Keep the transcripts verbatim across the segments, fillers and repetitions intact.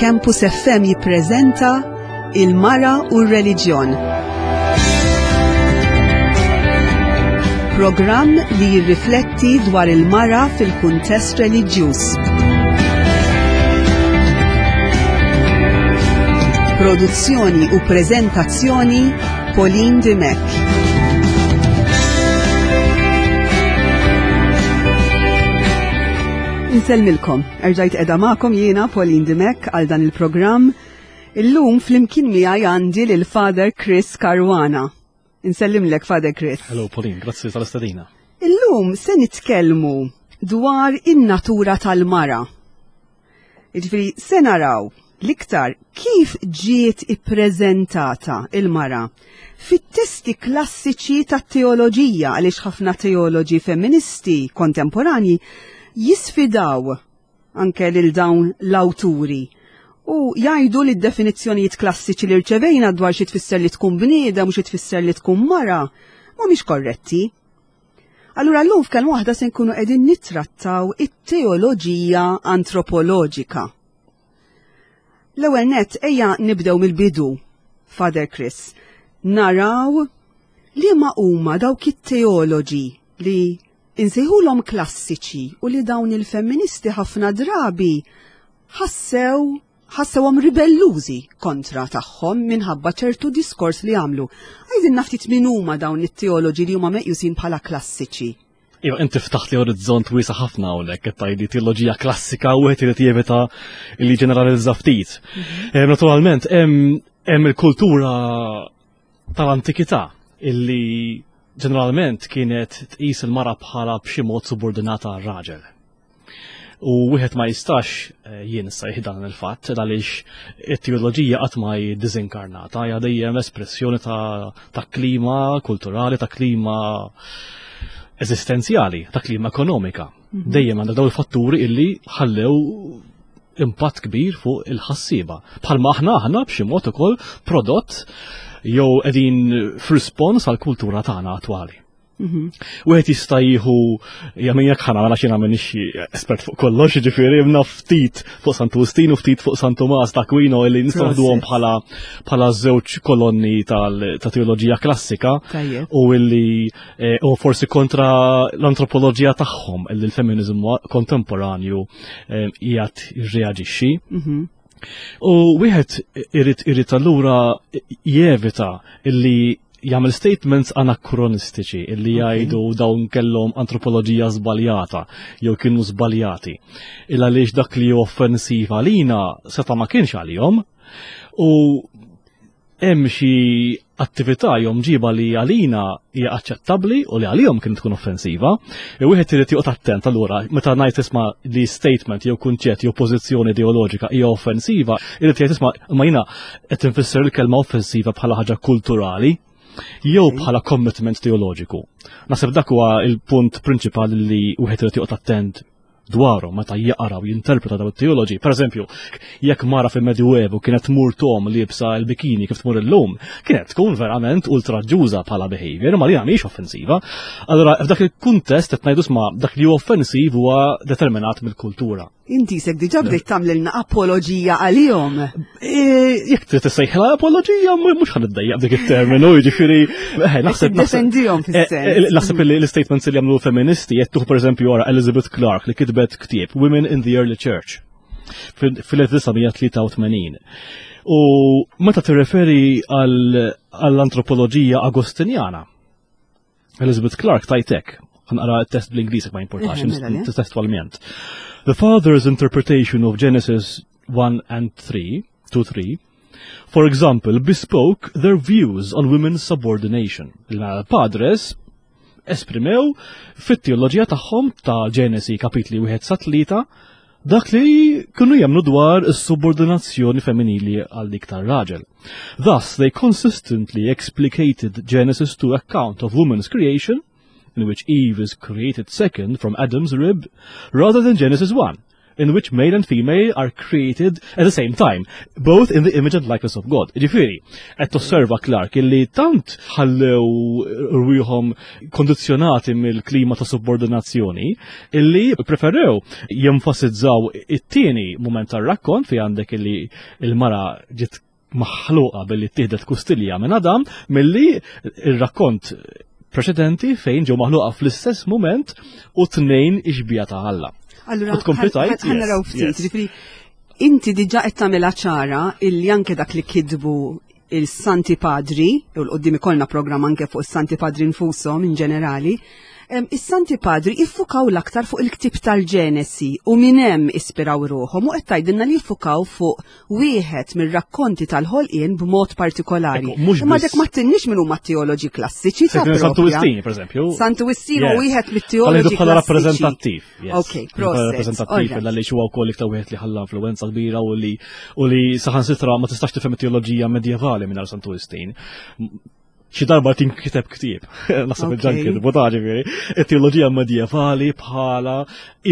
Campus F M jippreżenta Il-Mara u r-Reliġjon. Programm li jirrifletti dwar il-mara fil-kuntest reliġjuż. Produzzjoni u preżentazzjoni, Pauline Dimech. Insellmilkom, erġajt qiegħda magħkom jiena, Pauline Dimech, għal dan il-programm. Illum flimkien miegħi għandi lil Father Chris Caruana. Insellimlek, Father Chris. Hello Pauline, grazzi tal-istedina. Illum se nitkellmu dwar in-natura tal-mara. Jiġifieri se naraw l-iktar kif ġiet ippreżentata il-mara fit-testi klassiċi tat-teoloġija, għaliex ħafna teoloġi femministi kontemporanji jisfidaw anke lil dawn l-awturi u jgħidu li d-definizzjonijiet klassiċi li rċevejna dwar xi tfisser li tkun bniedem u xi tfisser li tkun mara mhumiex korretti. Allura llum f'Kelma Waħda se nkunu qegħdin nittrattaw it-teoloġija antropoloġika. L-ewwel net, ejja nibdew mill-bidu, Father Chris. Naraw li ma huma dawk it-teoloġi li insejħulhom klassiċi u li dawn il-femministi ħafna drabi ħassew ħassewhom ribellużi kontra tagħhom minħabba ċertu diskors li għamlu. Għidilna ftit min huma dawn it-teoloġi li huma meqjusin bħala klassiċi. Iva, inti ftaħt li orizzont wiesa' ħafna hawnhekk qed tgħidli teoloġija klassika u wieħed irid jevita li ġeneralizza ftit. Mhm. Eh, naturalment, hemm il-kultura tal-antikità illi ġeneralment kienet tqis il-mara bħala b'xi mod subordinata għar-raġel. U wieħed ma jistax eh, jinsa dan il-fatt għaliex it-teoloġija qatt ma hi diżinkarnata, hija dejjem espressjoni ta', ta klima kulturali, ta' klima eżistenzjali, ta' klima ekonomika. Mhm. Dejjem għandha dawn il-fatturi illi ħallew impatt kbir fuq il-ħassiba. Bħalma aħna aħna b'xi mod ukoll prodott jew qegħdin f'rispons għall-kultura tagħna attwali. Mhm. Wieħed jista' jieħu jagħmel jekk ħana għala xi nagħmel espert fuq kollox, jiġifieri imna ftit fuq Santu Wistin u ftit fuq San Tumas ta' Aquino li nistgħu naħduhom bħala bħala żewġ kolonni ta' teoloġija klassika u illi eh, u forsi kontra l-antropoloġija tagħhom illi l-feminiżmu kontemporanju eh, qiegħed jirreaġixxi. Mhm. U wieħed irid irid allura jevita illi jagħmel statements anakronistiċi illi jgħidu dawn kellhom antropoloġija żbaljata jew kienu żbaljati. Il għaliex dak li hu offensiv għalina seta' ma kienx għalihom u hemm xi attività jew mġiba li għalina hija aċċettabbli u li għalihom kien tkun offensiva. E wieħed irid joqgħod attent allura meta ngħid isma' li statement jew kunċett jew pożizzjoni ideoloġika hija offensiva, irid jgħid isma' ma jiena qed infisser il-kelma offensiva bħala ħaġa kulturali jew bħala commitment teoloġiku. Naħseb dak huwa il-punt prinċipali li wieħed irid joqgħod attent dwaru meta jaqra u jinterpreta dawn it-teoloġi. Per eżempju, jekk mara fil-Medjuevu kienet tmur tom liebsa l-bikini kif tmur illum, kienet tkun verament ultraġġuża bħala behavior, ma li mhix offensiva. Allora, f'dak il-kuntest qed ngħidu sma dak li huwa offensiv huwa determinat mill-kultura. Inti sek diġà bdejt tagħmlilna apoloġija għalihom. E, jekk trid tissejħla apoloġija, mhux ħa niddejjaq dik it-terminu, jiġifieri eh, naħseb defendihom fis-sens. Eh, eh, naħseb li l-statements li jagħmlu feministi qed tuħ, pereżempju, wara Elizabeth Clark li kitbet ktieb Women in the Early Church fil-elf disa' mija tlieta u tmenin. U meta tirreferi għall-antropoloġija Agostinjana, Elizabeth Clark tajtek, naqra test bl-Ingliż ma importax, mela, testualment. "The father's interpretation of Genesis one and three, two, three, for example, bespoke their views on women's subordination." Il-padres esprimew fit-teoloġija tagħhom ta' Ġenesi kapitli wieħed sa tlieta dak li kienu jemmnu dwar is-subordinazzjoni femminili għal dik tar-raġel. "Thus, they consistently explicated Genesis two account of woman's creation, in which Eve is created second from Adam's rib, rather than Genesis one, in which male and female are created at the same time, both in the image and likeness of God. Ġifieri, qed tosserva Clark illi tant ħallew rwieħhom kondizzjonati mill-klima ta' subordinazzjoni illi preferew jenfasizzaw it-tieni moment tar-rakkont fi għandek illi il-mara ġiet maħluqa billi tieħdet kustilja minn Adam milli il-rakkont preċedenti fejn ġew maħluqa fl-istess moment u tnejn ix-xbieha ta' Alla. Allura, ħa naraw ftit, ġifieri, inti diġà qed tagħmilha ċara illi anke dak li kitbu il-Santi Padri, u 'l quddiem ikollna programm anke fuq is-Santi Padri nfushom in ġenerali, is-Santi Padri iffukaw l-aktar fuq il-ktib tal-Ġenesi u minn hemm ispiraw ruħhom u qed tgħidilna li jiffukaw fuq wieħed mir-rakkonti tal-ħolqien b'mod partikolari. Imma dek ma tinniex minn huma teoloġi klassiċi ta' Santu Wistin, per eżempju. Santu Wistin u wieħed mit-teoloġi bħala rappreżentattiv. Ok, proset. Rappreżentattiv għaliex huwa wkoll iktar wieħed li ħalla influenza kbira u li u li saħansitra ma tistax tifhem it-teoloġija medjevali mingħajr Santu Wistin. Xi darba tinkiteb ktieb, naħseb il-ġan kitbu ta' ġifieri, it-teoloġija medjevali bħala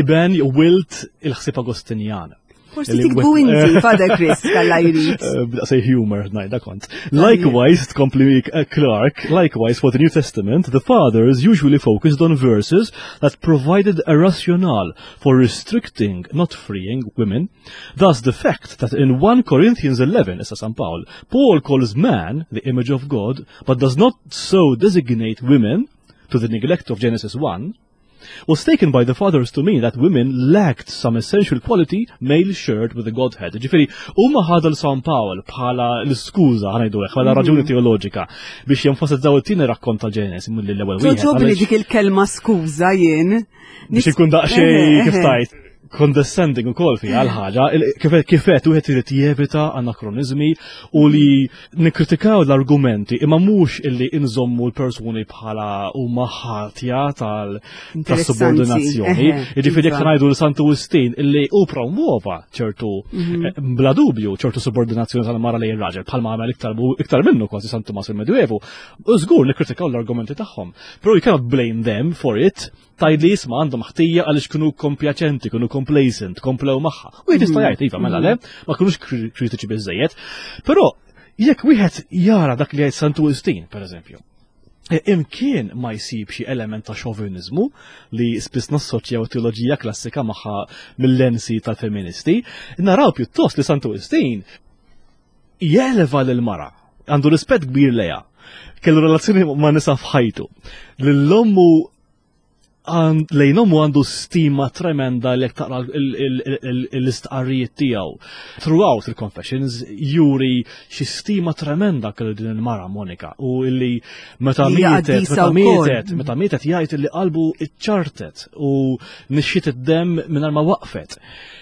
iben wilt il-ħsieb Agostinjan. Forsi tiktbu inti, Father Chris, kalla jrid. Say humor, ngħidha kont. Likewise, tkompli Clark, likewise for the New Testament, the fathers usually focused on verses that provided a rationale for restricting, not freeing women. Thus, the fact that in First Corinthians eleven, issa San Paul, Paul calls man the image of God, but does not so designate women, to the neglect of Genesis one, was taken by the fathers to mean that women lacked some essential quality male shared with the Godhead. Ġifieri, huma ħadu San Paul bħala l-skuża, ħa ngħidu bħala raġuni teoloġika biex jenfasizzaw it-tieni rakkont tal-Ġenesi mill l-ewwel wieħed. Togħġobni dik il-kelma skuża jien. Biex ikun daqsxejn kif tajt condescending u kol fi għal-ħaġa, kifet wieħed irid jevita anakronizmi u li nikkritikaw l-argumenti imma mhux illi inżommu l-persuni bħala huma ħatja tal-subordinazzjoni. Jiġifieri jekk ngħidu l Santu Wistin illi hu promuova ċertu mhm. eh, bla dubju ċertu subordinazzjoni tal-mara lejn raġel bħalma għamel iktar minnu kważi Santu Mas il-Medjuevu, żgur nikkritikaw l-argumenti tagħhom. Però you cannot blame them for it tgħid li isma' għandhom ħtija għaliex kienu kompjaċenti, kienu complacent, komplew magħha. U jista' jgħid, iva, mela le, ma kinux kritiċi biżejjed. Però jekk wieħed jara dak li jgħid Santu Wistin, per eżempju, e, imkien ma jsib xi element ta' xovinizmu li spiss nassoċjaw teoloġija klassika magħha mill-lensi tal-feministi, naraw pjuttost li Santu Wistin jeleva lil mara, għandu rispett kbir leja, kellu relazzjoni ma' nisa f'ħajtu. Lil-ommu lejn ommu għandu stima tremenda li taqra l-istqarrijiet tiegħu. Throughout il-Confessions juri xi stima tremenda kellu din il-mara Monika u illi meta mietet, meta mietet, meta mietet jgħid illi qalbu iċċartet u nixxiet id-dem mingħajr ma waqfet.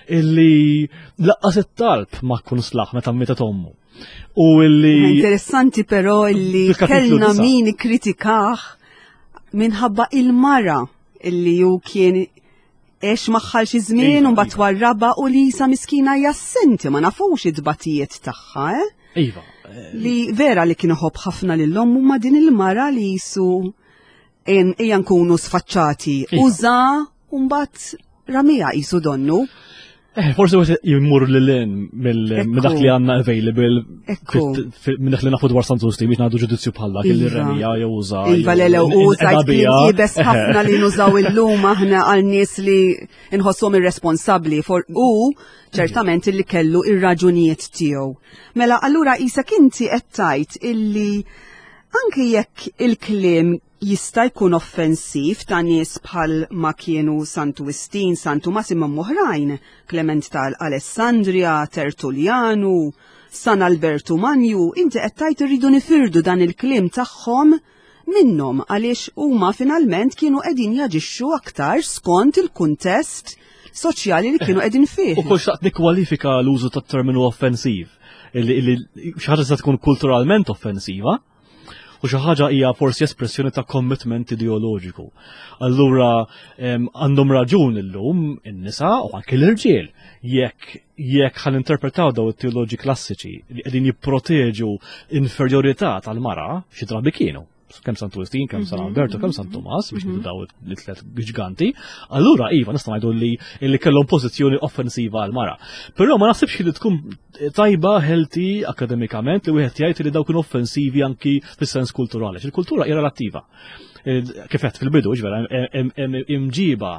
Illi lanqas it-talb ma kun slaħ meta mietet ommu. U illi. Interessanti però illi kellna min kritikah minħabba il-mara illi ju kien għex magħha xi żmien u mbagħad warraba u li sa miskina jassenti ma nafux id-batijiet tagħha, eh? Iva. Li vera li kien iħobb ħafna lil ommu ma din il-mara li jisu ejja nkunu sfaċċati. Iva. Uża u mbagħad ramija jisu donnu. Eh, forsi għet jimmur l-lin minn dak li għanna available minn dak li nafu dwar Santu Wistin biex nagħdu ġudizzju bħal dak li Iva. remija jew uża. Iva le u sajt kien iebes ħafna li nużaw illum aħna għal nies li nħosshom irresponsabbli for u ċertament illi kellu ir-raġunijiet tiegħu. Mela allura isek inti qed tgħid illi anke jekk il-kliem jista' jkun offensiv ta' nies bħal ma kienu Santu Wistin, Santu Massimo oħrajn, Clement tal-Alessandria, Tertullianu, San Albertu Manju, inti qed tgħid irridu nifirdu dan il-kliem tagħhom minnhom għaliex huma finalment kienu qegħdin jaġixxu aktar skont il-kuntest soċjali li kienu qegħdin fih. U kol xtaqt nikkwalifika l-użu tat-terminu offensiv, illi illi xi ħaġa tista' tkun kulturalment offensiva, u xi ħaġa hija forsi espressjoni ta' commitment ideoloġiku. Allura em, għandhom raġun illum in-nisa u anke l-irġiel jekk jekk ħan interpretaw daw it-teoloġi klassiċi li qegħdin jipproteġu inferjorità tal-mara xi drabi kienu. Kemm Santu Wistin, kemm San Alberto, kemm San Tomas, biex mm daw it-tlet ġganti, allura iva nista' ngħidu li li kellhom pożizzjoni offensiva għal mara. Però ma naħsibx li tkun tajba, healthy akademikament, li wieħed jgħid li daw kienu offensivi anki fis-sens kulturali. Il-kultura hija relattiva. Kif qed fil-bidu, ġvera, imġiba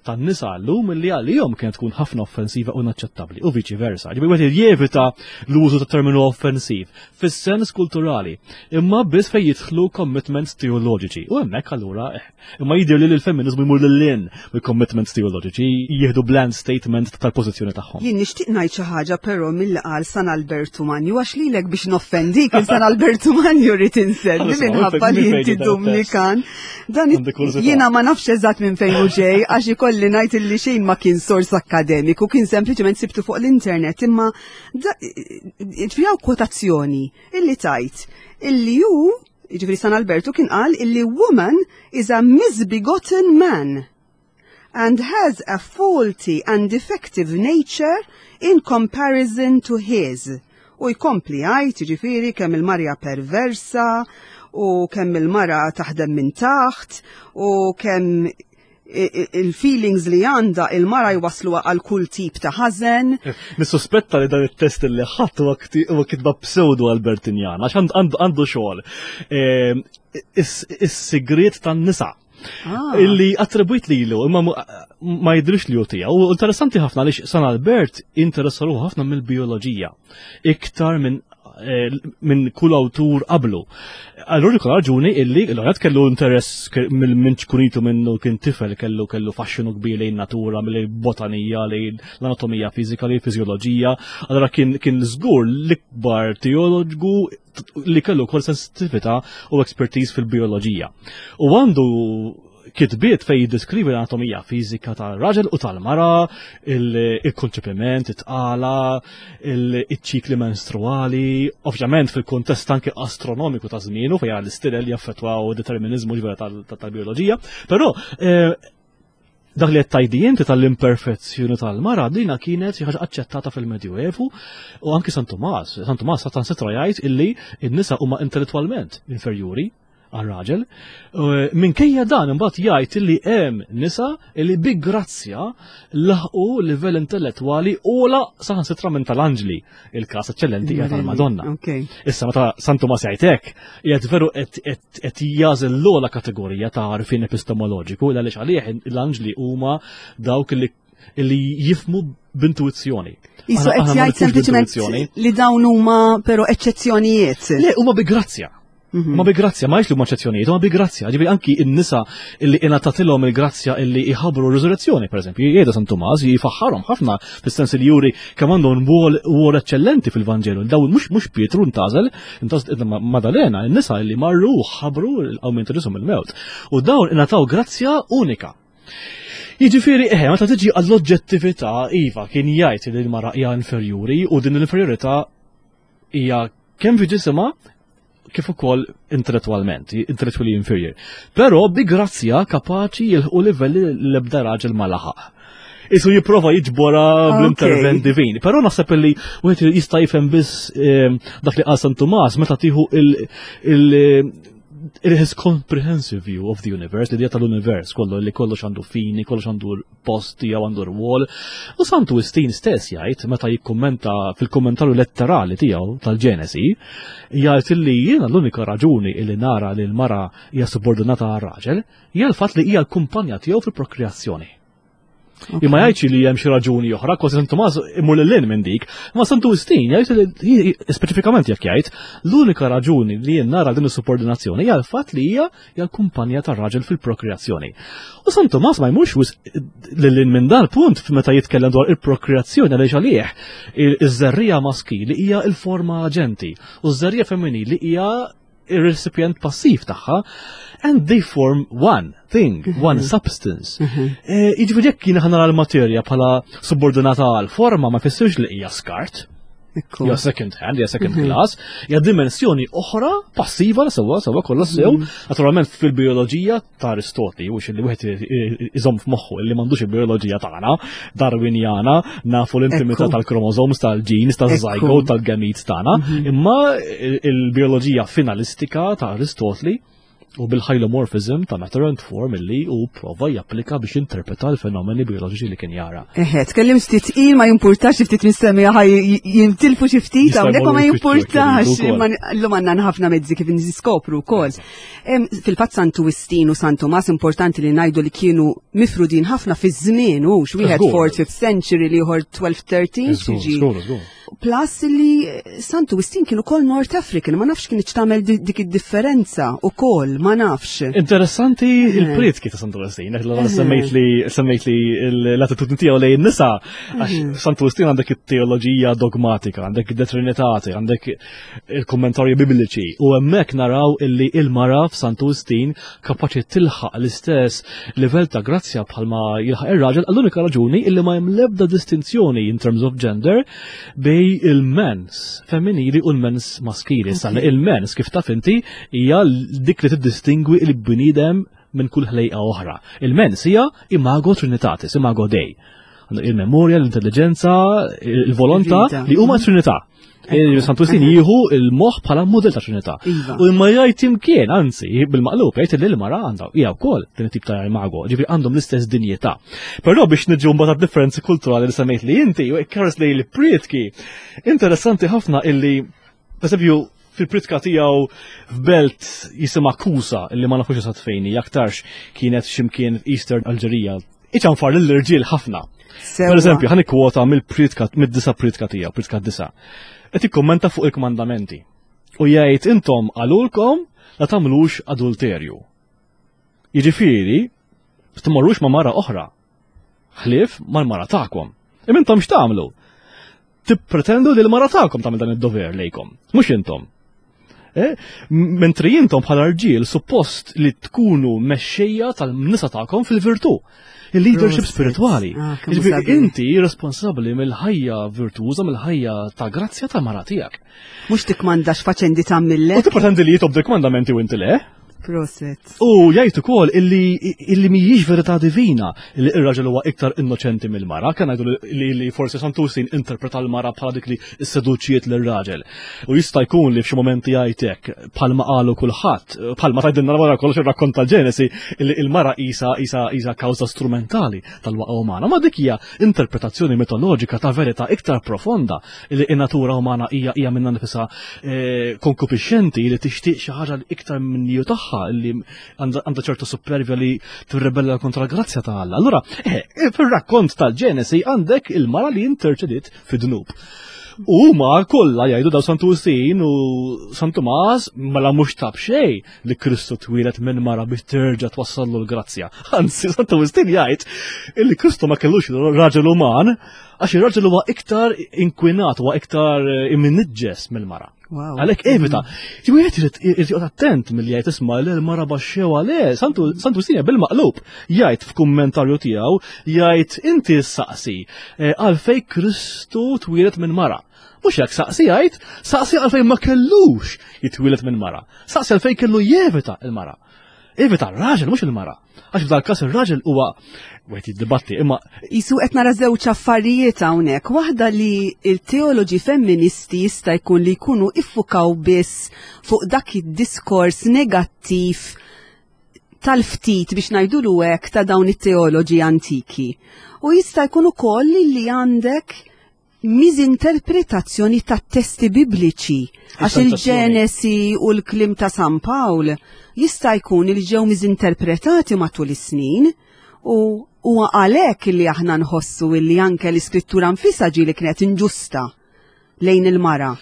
tan-nisa llum li għalihom kienet tkun ħafna offensiva u inaċċettabbli u viċi versa. Ġifieri wieħed jevita l-użu ta' terminu offensiv fis-sens kulturali, imma biss fejn jidħlu commitments teoloġiċi. U hemmhekk allura eh, imma jidher li l-femminizmu jmur lil hinn mill-commitments teoloġiċi, jieħdu bland statement tal-pożizzjoni tagħhom. Jien nixtieq ngħid xi ħaġa però mill qal San Albertu Manju, għax lilek biex noffendik il San Albertu Manju rrid insemmi minħabba li inti Dumnikan. Dan jiena ma nafx eżatt minn fejn hu ġej, għax ikolli ngħid illi xejn ma kien sors akademiku, kien sempliċement sibtu fuq l-internet, imma ġifieri kwotazzjoni illi tajt illi ju, ġifieri San Albertu, kien qal illi "woman is a misbegotten man and has a faulty and defective nature in comparison to his." U jkompli jgħid, ġifieri, kemm il-mara perversa u kemm il-mara taħdem minn taħt u kemm il-feelings li għanda il-mara jwaslu għal kull tip ta' ħażen. Nissuspetta li dan it-test li ħadd huwa kitba pseudo Albertinjana, għax għandu xogħol. Ehm, is-sigriet tan-nisa. Ah. Illi attribwit lilu, imma ma jidrix li hu tiegħu. U interessanti ħafna għaliex San Albert interessa ruħu ħafna mill-bioloġija. Iktar minn eh, minn kull awtur qablu. Allura kull raġuni illi l-għajet kellu interess minn ċkunitu, minnu kien tifel kellu kellu faxxinu kbir lejn natura, mill-botanija, lejn l-anatomija fizika, lejn fiżjoloġija. Allura kien kien żgur l-ikbar teologu li kellu kol sensitività u expertise fil-bioloġija. U għandu kitbiet fej jiddeskrivi l-anatomija fiżika tal-raġel u tal-mara, il-konċepiment, it-tqala, il-ċikli menstruali, ovvjament fil-kontest anke astronomiku ta' żmienu fej l-istilel jaffettwaw determinizmu ġvera tal-bioloġija, però eh, dak li qed tgħidi inti tal-imperfezzjoni tal-mara, dina kienet xi ħaġa aċċettata fil-Medjuevu u anki San Tomas. San Tomas saħansitra jgħid illi n-nisa huma intellettwalment inferjuri għal-raġel. Minkejja dan imbagħad jgħid illi hemm nisa illi bi grazzja laħqu livell intellettwali ogħla saħansitra minn tal-anġli. Il-każ eċċellenti hija tal-Madonna. Issa meta San Tomas jgħid hekk, qiegħed veru qed jagħżel l-ogħla kategorija ta' għarfien epistemoloġiku, għaliex għalih l-anġli huma dawk li li jifhmu b'intuizzjoni. Jisu qed jgħid sempliċement li dawn huma però eċċezzjonijiet. Le, huma bi grazzja. Mhm. Ma bi grazzja, ma li huma eċċezzjonijiet, ma bi grazzja. Ġifieri anki n-nisa illi ingħatatilhom il-grazzja illi jħabbru r-riżurrezzjoni, pereżempju, jgħidha San Tumas, jifaħħarhom ħafna fis-sens li juri kemm għandhom rwol eċċellenti fil-Vanġelu. Daw mhux mhux Pietru ntgħażel, intgħażel Madalena, n-nisa illi marru ħabbru l-qawmien ta' Ġesù mill-mewt. U dawn ingħataw grazzja unika. Jiġifieri, eħe, meta tiġi għall-oġġettività, iva, kien jgħid li l-mara hija inferjuri u din l-inferjorità hija kemm fi ġisimha kif ukoll intellettualment, intellectually inferior. Però bi grazzja kapaċi jilħqu livelli l-ebda raġel ma laħaq. Isu jipprova jiġbora bl-intervent divin. Però naħseb li wieħed jista' jifhem biss eh, dak li qal San Tumas meta tieħu il- il- his comprehensive view of the universe, l-idea tal-univers kollu, li kollox għandu fini, kollox għandu post tiegħu, għandu rwol. U Santu Wistin stess jgħid, meta jikkummenta fil-kommentarju letterali tiegħu tal-Ġenesi, jgħid li jiena l-unika raġuni li nara li l-mara hija subordinata għar-raġel hija l-fatt li hija l-kumpanja tiegħu fil-prokreazzjoni. Imma jgħidx li hemm xi raġuni oħra, kważi San Tumas imur lil minn dik, ma Santu Wistin jgħid li speċifikament jekk jgħid l-unika raġuni li jien nara din is-subordinazzjoni hija l-fatt li hija hija l-kumpanja tar-raġel fil-prokreazzjoni. U San Tumas ma jmurx lil minn dan punt meta jitkellem dwar il-prokreazzjoni, għaliex għalih iż-żerrija maskili hija l-forma aġenti u ż-żerrija femminili hija il-recipient passiv tagħha, and they form one thing, one substance. Eh, jiġifieri jekk jiena nara l-materja bħala subordinata għal forma, ma jfissirx li hija skart. Hija second hand, hija second class, hija dimensjoni oħra passiva sewwa sewwa kollha sew. Naturalment fil-bioloġija ta' Aristotli, u li wieħed iżomm f'moħħu li m'għandux il-bioloġija tagħna, Darwinjana, nafu l-intimità tal-chromosomes, tal-genes, tal-zygote, tal-gametes tagħna, imma il-bioloġija finalistika ta' Aristotli U bil-hylomorphism ta' matter and form illi u prova japplika biex interpreta l-fenomeni bioloġiċi li kien jara. Eħe, tkellim ftit il ma jimpurtax ftit mistemmija ħaj jintilfu xi ftit hawnhekk ma jimpurtax imma llum għandna ħafna mezzi kif niskopru wkoll. Fil-fatt Santu Wistin u San Tumas importanti li ngħidu li kienu mifrudin ħafna fi żmien u wieħed fourth fifth century li ieħor twelve thirteen. Plus li Santu Wistin kienu kol North African, ma nafx kien tagħmel dik id-differenza ukoll, ma nafx. Interessanti il-prietki ta' Santu Wistin, semmejt li semmejt li l-attitudni tiegħu lejn nisa, għax Santu Wistin għandek it-teoloġija dogmatika, għandek id-De Trinitate, għandek il-kommentarji bibliċi, u hemmhekk naraw illi il-mara f'Santu Wistin kapaċi tilħaq l-istess livell ta' grazzja bħalma jilħaq ir-raġel għall-unika raġuni illi ma hemm l-ebda distinzjoni in terms of gender bej il-mens femminili u l-mens maskili. Salla il-mens kif taf inti hija dik li tiddistingwi il-bniedem minn kull ħlejqa oħra. Il-mens hija imago trinitatis, imago Dei. Il-memorja, l-intelligenza, il-volontà li huma trinità. Santu Wistin jieħu il-moħħ bħala model ta' trinità. U imma jgħid imkien, anzi, bil-maqlub, jgħid li l-mara għandha hija wkoll din it-tip ta' imago, ġifieri għandhom l-istess dinjità. Però biex niġu mbagħad differenzi kulturali li semmejt li inti, u ikkares li l-prietki, interessanti ħafna illi, per esempio, fil-pritka tiegħu f'belt jisimha Kusa, illi ma nafux eżatt fejn hi, aktarx kienet x'imkien Eastern Alġerija. Iċanfar lill-irġiel ħafna. Per eżempju, ħa nikkwota mill-pritka, mid-disa pritka tiegħu, pritka disa. Qed ikkommenta fuq il-kmandamenti. U jgħid intom qalulkom la tagħmlux adulterju. Jiġifieri, tmorrux ma' mara oħra. Ħlief mal-mara tagħkom. Imma intom x'tagħmlu? Tippretendu li l-mara tagħkom tagħmel dan id-dover lejkom, mhux intom. Eh? Mentri intom bħala rġiel suppost li tkunu mexxejja tal-nisa tagħkom fil-virtù. Il-leadership spirituali. Ah, kemm sabiħ. Inti responsabbli mill-ħajja virtuża, mill-ħajja ta' grazzja ta' mara tiegħek. Mhux tikmandax faċendi tagħmillek. U tippretendi li jitobdi kmandamenti u inti le? Proset. U jgħid ukoll illi illi mhijiex verità divina li r-raġel huwa iktar innoċenti mill-mara, kan ngħidu li, li forsi Santu Wistin interpreta l-mara bħala dik li s-seduċiet lir-raġel. U jista' jkun li f'xi momenti jgħid hekk bħalma qalu kulħadd, bħalma tgħidilna wara kollox ir-rakkont tal-Ġenesi illi il-mara isa isa isa kawża strumentali tal-waqa umana. Ma dik hija interpretazzjoni mitoloġika ta' verità iktar profonda li in-natura umana hija hija minnha nifisha eh, konkupixxenti li tixtieq xi ħaġa li iktar minn ju tagħha li għandha ċertu supervja li tirrebella kontra l-grazzja ta' Alla. Allura, eh, fir-rakkont tal-Ġenesi għandek il-mara li interċediet fid-dnub. U huma kollha jgħidu daw Santu Wistin u San Tumas mela mhux ta' b'xejn li Kristu twieled minn mara biex terġa' twassallu l-grazzja. Anzi, Santu Wistin jgħid li Kristu ma kellux raġel uman għax ir-raġel huwa iktar inkwinat, huwa iktar imniġġes mill-mara. Wow. Għalhekk evita. Ġifieri wieħed irid irid joqgħod attent milli jgħid isma' li l-mara baxxew għalih. Santu Santu Wistin bil-maqlub jgħid f'kummentarju tiegħu jgħid inti saqsi eh, għalfejn Kristu twieled minn mara. Mhux hekk saqsi jgħid, saqsi għalfejn ma kellux jitwieled minn mara. Saqsi għalfejn kellu jevita l-mara. Evita r-raġel mhux il-mara. Għax f'dal każ ir-raġel huwa wieħed jiddibatti imma Jisu qed nara żewġ affarijiet hawnhekk. Waħda li il-teoloġi femministi jista' jkun li jkunu iffukaw biss fuq dak id-diskors negattiv tal-ftit biex ngħidulu hekk ta' dawn it-teoloġi antiki. U jista' jkun ukoll li għandek miżinterpretazzjoni ta' testi bibliċi. Għax il-Ġenesi u l-klim ta' San Pawl jista' jkun li ġew miżinterpretati matul is-snin u huwa għalhekk li aħna nħossu li anke l-iskrittura nfisha ġieli kienet inġusta lejn il-mara.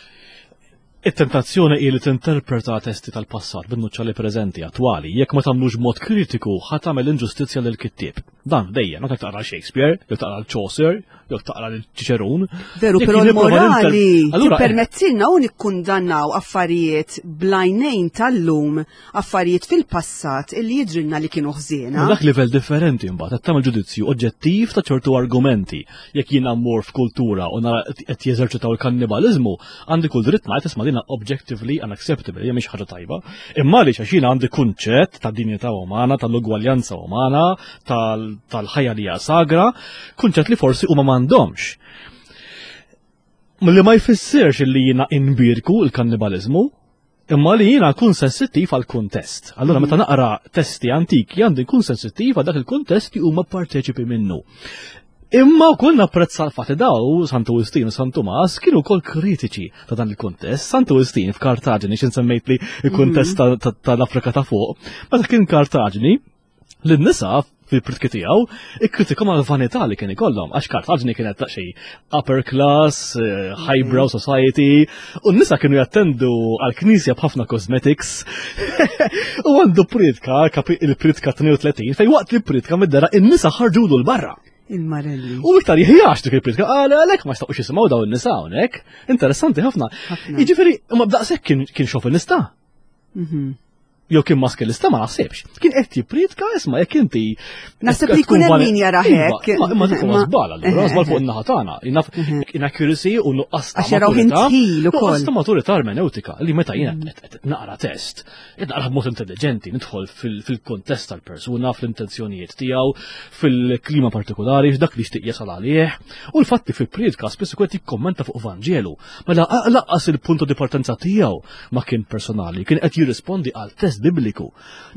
It-tentazzjoni hi li tinterpreta testi tal-passat bin-nuċċali preżenti attwali, jekk ma tagħmlux mod kritiku ħa tagħmel inġustizzja lil kittieb. Dan dejjem, anke taqra Shakespeare, jew taqra Chaucer, jew taqra lil Ċiċerun. Veru, Jekk però jien nipprova l-morali ninter- Allura, tippermettilna u nikkundannaw affarijiet blajnejn tal-lum, affarijiet fil-passat illi jidrilna li kienu ħżiena. Ma dak livell differenti mbagħad qed tagħmel ġudizzju oġġettiv ta' ċertu argumenti. Jekk jiena mmur f'kultura u nara qed jeżerċitaw il-kannibaliżmu, għandi kull dritt ngħid isma' dina objectively unacceptable, hija mhix ħaġa tajba. Imma għaliex għax jiena għandi kunċett ta' dinjità umana, tal-ugwaljanza umana, tal- tal-ħajja li hija sagra, kunċett li forsi huma m'għandhomx. Li ma jfissirx li jiena inbirku l-kannibaliżmu, Imma li jiena nkun sensittiv għal kuntest. Allura meta naqra testi antiki għandi nkun sensittiv għal dak il-kuntest li huma parteċipi minnu. Imma wkoll napprezza l-fatt daw Santu Wistin u San Tumas kienu wkoll kritiċi ta' dan il-kuntest. Santu Wistin f'Kartaġini, x'in semmejt li il-kuntest tal-Afrika ta' fuq, meta kien Kartaġini, lin-nisa fil-pritki tiegħu ikkritikom għal vanità li kien ikollhom, għax Kartaġni kienet xi upper class, eh, highbrow society, u n-nisa kienu jattendu għal knisja b'ħafna cosmetics. U għandu pritka, il-pritka tnejn u tletin, fej waqt li pritka mid-dera in-nisa ħarġulu l-barra. Il-marelli. U iktar jħijax dik il-pritka, għal għalek ma xtaqux jisimgħu daw in-nisa hawnhekk. Interessanti ħafna. Jiġifieri, ma b'daqshekk kien xovinista. Mhm. Jew kien maskilista, ma naħsibx. Kien qed jippritka, isma', jekk inti Naħseb li jkun hemm min jara hekk. Iva, imma dik huwa żball allura, żball fuq in-naħa tagħna. Inaccuracy u nuqqas ta' maturità. Nuqqas ta' maturità ermeneutika li meta jiena qed naqra test, qed naqra b'mod intelligenti, nidħol fil-kontest tal-persuna, fl-intenzjonijiet tiegħu, fil-klima partikolari, f'dak li jixtieq jasal għalih. U l-fatti fil-priedka spiss ikun qed jikkommenta fuq Vanġelu. Mela laqqas il-punto di partenza tiegħu ma kien personali, kien qed jirrispondi għal test bibliku.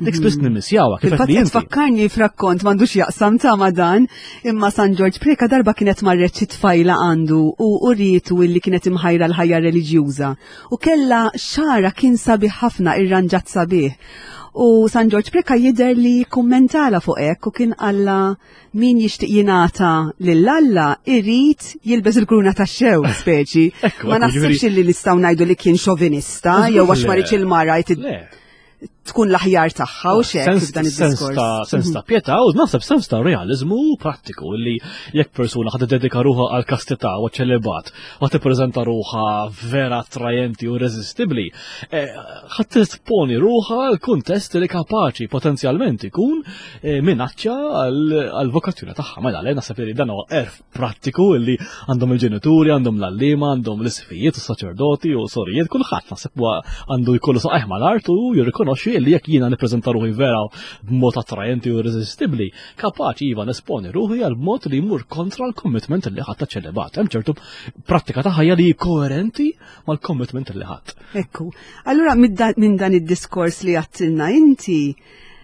Dik spiss nimmisjawha kif qed li tfakkarni f'rakkont m'għandux jaqsam ta' ma' dan, imma San Ġorġ Preka darba kienet marret xi tfajla għandu u urietu illi kienet imħajra l-ħajja reliġjuża. U kella xara kien sabiħ ħafna, irranġat sabiħ. U San Ġorġ Preka jidher li kummentala fuq hekk u kien qalla min jixtieq jingħata lil Alla irid jilbes il-kruna tax-xewk speċi. Ma naħsibx li nistgħu ngħidu li kien xovinista jew għax ma il-mara tkun l-aħjar tagħha u xek f'dan id-diskors. Sens ta' pietà u naħseb sens ta' realizmu prattiku li jekk persuna ħad dedika ruħha għal kastità u ċelibat u tippreżenta ruħha vera attrajenti u irreżistibbli, eh, ħad tesponi ruħha għal kuntest li kapaċi potenzjalment ikun eh, minaċċa għal vokazzjoni tagħha. Mela le, naħseb li dan huwa għerf prattiku li għandhom il-ġenituri, għandhom l-għalliema, għandhom l-isfijiet u saċerdoti u sorijiet, kulħadd naħseb għandu jkollu saqajh mal-art u jirrikonoxxi li jekk jiena nippreżenta ruħi vera b'mod attrajenti u irreżistibbli, kapaċi iva nesponi ruħi għal mod li jmur kontra l-commitment li ħadd ċelibat. Hemm ċertu prattika ta' ħajja li koerenti mal-commitment li ħadd. Ekku. Allura minn dan id-diskors li għattilna inti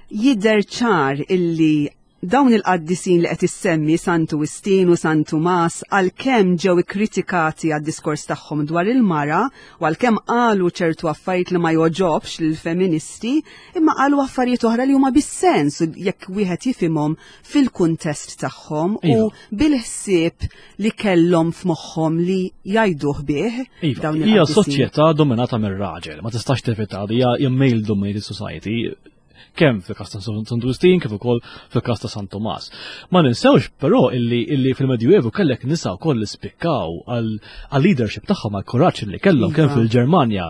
jidher ċar illi dawn il-qaddisin li qed issemmi, Santu Wistin u San Tumas, għalkemm ġew ikkritikati għad-diskors tagħhom dwar il-mara u għalkemm qalu ċertu affarijiet li ma joġobx lill-feministi, imma qalu affarijiet oħra li huma bis-sens jekk wieħed jifhimhom fil-kuntest tagħhom u Iva. bil-ħsieb li kellhom f'moħħhom li jgħiduh bih Iva, dawn hija il-qaddisin. Soċjetà dominata mir-raġel, ma tistax tevita li hija male dominated society, kemm fil-kas ta' San Wistin kif ukoll fil-kas ta' San Tomas. Ma ninsewx però illi, illi fil-Medjuevu kellek nisa wkoll li spikkaw għal leadership tagħhom, għal kuraġġ li kellhom kemm Iva. fil-Ġermanja,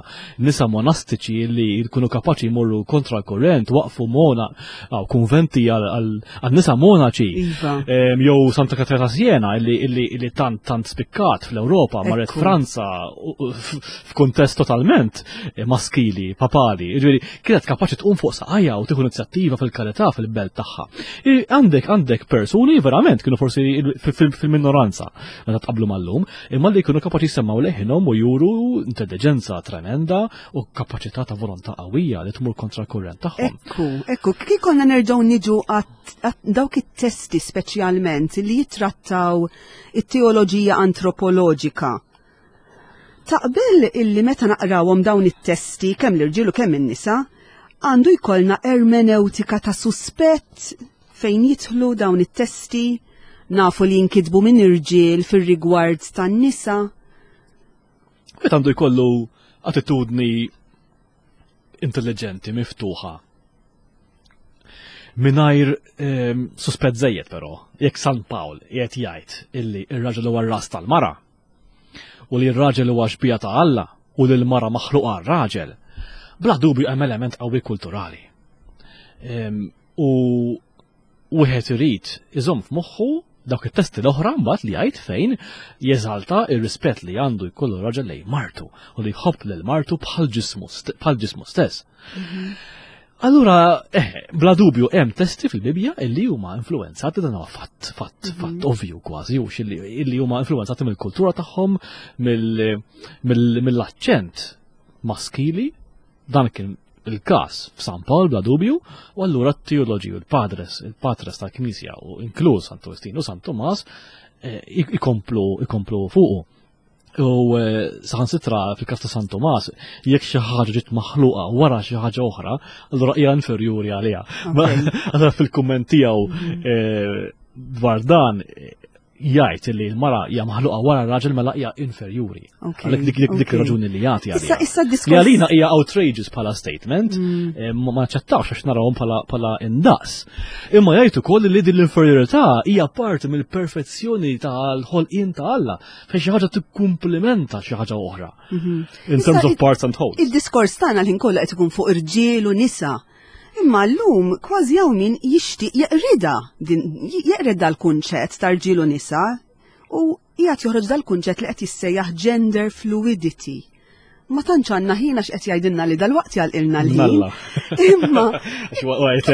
nisa monastiċi li jkunu kapaċi jmorru kontra l-kurrent, waqfu mona aw konventi għal nisa monaċi. Iva. Em, Jew Santa Katarina Siena illi, illi, illi tant tant spikkat fl-Ewropa, marret Ekku. Franza u- u f- f'kuntest totalment eh, maskili, papali. Ġifieri kienet kapaċi tqum fuq saqajja u tieħu inizjattiva fil-karità fil-belt tagħha. I- Għandek għandek persuni verament kienu forsi il- fil- fil-minoranza meta tqablu mal-lum, imma li kienu kapaċi jsemmaw leħinhom u juru intelligenza tremenda u kapaċità ta' volontà qawwija li tmur kontra l-kurrent tagħhom. Ekku, ekku, kif konna nerġgħu niġu għat għat dawk it-testi speċjalment li jitrattaw it-teoloġija antropoloġika. Taqbel illi meta naqrawhom dawn it-testi, kemm l-irġiel u kemm in-nisa, għandu jkollna ermeneutika ta' suspett fejn jidħlu dawn it-testi, nafu li jinkitbu minn irġiel fir-rigward tan-nisa? Meta għandu jkollu attitudni intelligenti, miftuħa. Mingħajr ehm, suspett żejjed però, jekk San Pawl qiegħed jgħid illi ir-raġel huwa r-ras tal-mara u li r-raġel huwa xbija ta' Alla u li l-mara maħluqa għar-raġel, bla dubju hemm element qawwi kulturali. Ehm, U wieħed irid iżomm f'moħħu dawk it-testi l-oħra mbagħad li jgħid fejn jeżalta ir-rispett li għandu jkollu raġel lejn martu u li jħobb lil martu bħal ġismu st- bħal ġismu stess. Allura, eh, bla dubju hemm testi fil-Bibja illi huma influenzati, dan huwa fatt, fatt, fatt ovvju kważi, u illi, illi huma influenzati mill-kultura tagħhom, mill- mill- mill-aċċent maskili. Dan kien il-każ f'San Pawl bla dubju, u allura t-teoloġi u l-padres, il-patres tal-Knisja u inkluż Santu Wistin u San Tomas eh, ikomplu ikomplu fuqu. U eh, saħansitra fil-każ ta' San Tomas, jekk xi ħaġa ġiet maħluqa wara xi ħaġa oħra, allura hija inferjuri għaliha. Allura fil-kumment tiegħu mhm. eh, dwar dan jgħid li l-mara hija maħluqa wara r-raġel mela hija inferjuri. Għalhekk dik dik dik raġuni li jagħti għalija. Issa diskors. Li għalina hija outrageous bħala statement, mm. eh, ma naċċettawx għax narawhom bħala indaqs. Imma jgħid ukoll li din l-inferjorità hija parti mill-perfezzjoni tal-ħolqien ta' Alla, fejn xi ħaġa tikkumplimenta xi ħaġa oħra. Mhm. In terms of parts and wholes. Id-diskors tagħna l-ħin kollha qed ikun fuq irġiel u nisa. Imma llum kważi hawn min jixtieq jeqrida jeqred dal-kunċett ta' rġiel u nisa u qiegħed joħroġ dal-kunċett li qed jissejjaħ gender fluidity. Ma tantx għandna ħin għax qed jgħidilna li dalwaqt jagħlqilna l-ħin. Imma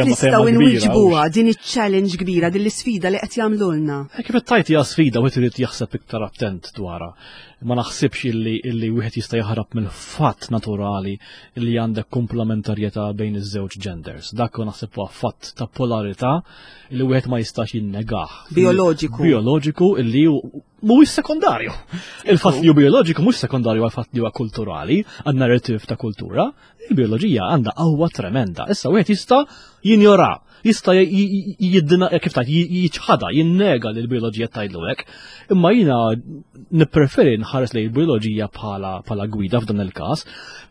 nistgħu nwiġbuha din iċ-challenge kbira, din l-isfida li qed jagħmlulna. Eh, kif qed tgħid hija sfida wieħed irid jaħseb iktar attent dwarha. Ma naħsibx illi illi wieħed jista' jaħrab mill-fatt naturali li għandek komplementarjetà bejn iż-żewġ genders. Dak hu naħseb huwa fatt ta' polarità li wieħed ma jistax jinnegah. Bioloġiku. Bioloġiku illi mhuwiex sekondarju. Il-fatt li hu bioloġiku mhux sekondarju għal fatt li huwa kulturali, għan narrative ta' kultura. Il-bioloġija għandha qawwa tremenda. Issa wieħed jista' jinjora, jista' jiddina kif tgħid jiċħada, jinnega li l-bioloġija tgħidlu hekk. Imma jiena nippreferi nħares lejn il-bioloġija bħala bħala gwida f'dan il-każ,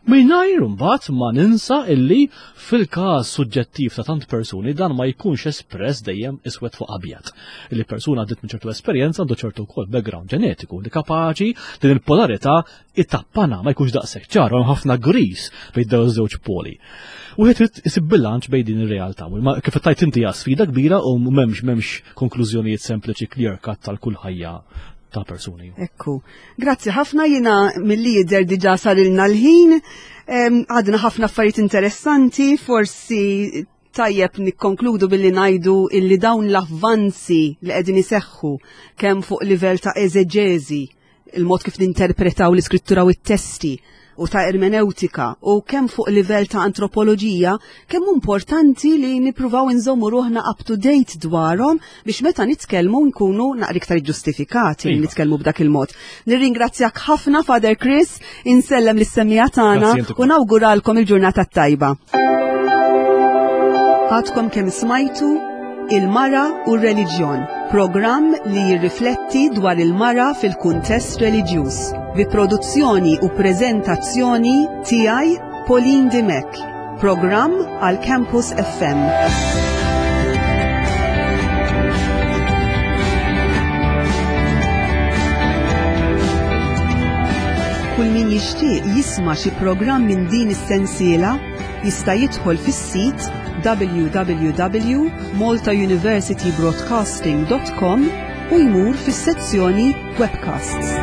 mingħajr imbagħad ma ninsa illi fil-każ suġġettiv ta' tant persuni dan ma jkunx espress dejjem iswed fuq abjad. Illi persuna għaddiet minn ċertu esperjenza għandu ċertu wkoll background ġenetiku li kapaċi din il-polarità it-tappana ma jkunx daqshekk ċar, hemm ħafna gris bejn dawn iż-żewġ poli. Wieħed irid isib bilanċ bejn din ir-realtà. Ma kif tajt inti hija sfida kbira u m'hemmx m'hemmx konklużjonijiet sempliċi clear cut tal-kull ħajja ta' persuni. Ekku. Grazzi ħafna, jiena milli jidher diġà sarilna l-ħin. Għadna ħafna affarijiet interessanti, forsi tajjeb nikkonkludu billi ngħidu illi dawn l-avvanzi li qegħdin iseħħu kemm fuq livell ta' eżeġeżi, il-mod kif ninterpretaw l-iskrittura u t-testi, u ta' ermeneutika, u kemm fuq livell ta' antropoloġija, kemm importanti li nippruvaw inżommu ruħna up to date dwarhom biex meta nitkellmu nkunu naqra iktar ġustifikati li Iva. nitkellmu b'dak il-mod. Nirringrazzjak ħafna, Father Chris, insellem lis-semmiegħa tagħna Grazzi, inti u nawguralkom il-ġurnata tajba. Għadkom kemm smajtu Il-Mara u r-Reliġjon, programm li jirrifletti dwar il-mara fil-kuntest reliġjuż, bi produzzjoni u preżentazzjoni tiegħi Pauline Dimech, programm għal Campus F M. Kull min jixtieq jisma' xi programm minn din is-sensiela jista' jidħol fis-sit w w w punt maltauniversitybroadcasting punt com u jmur fis-sezzjoni Webcasts.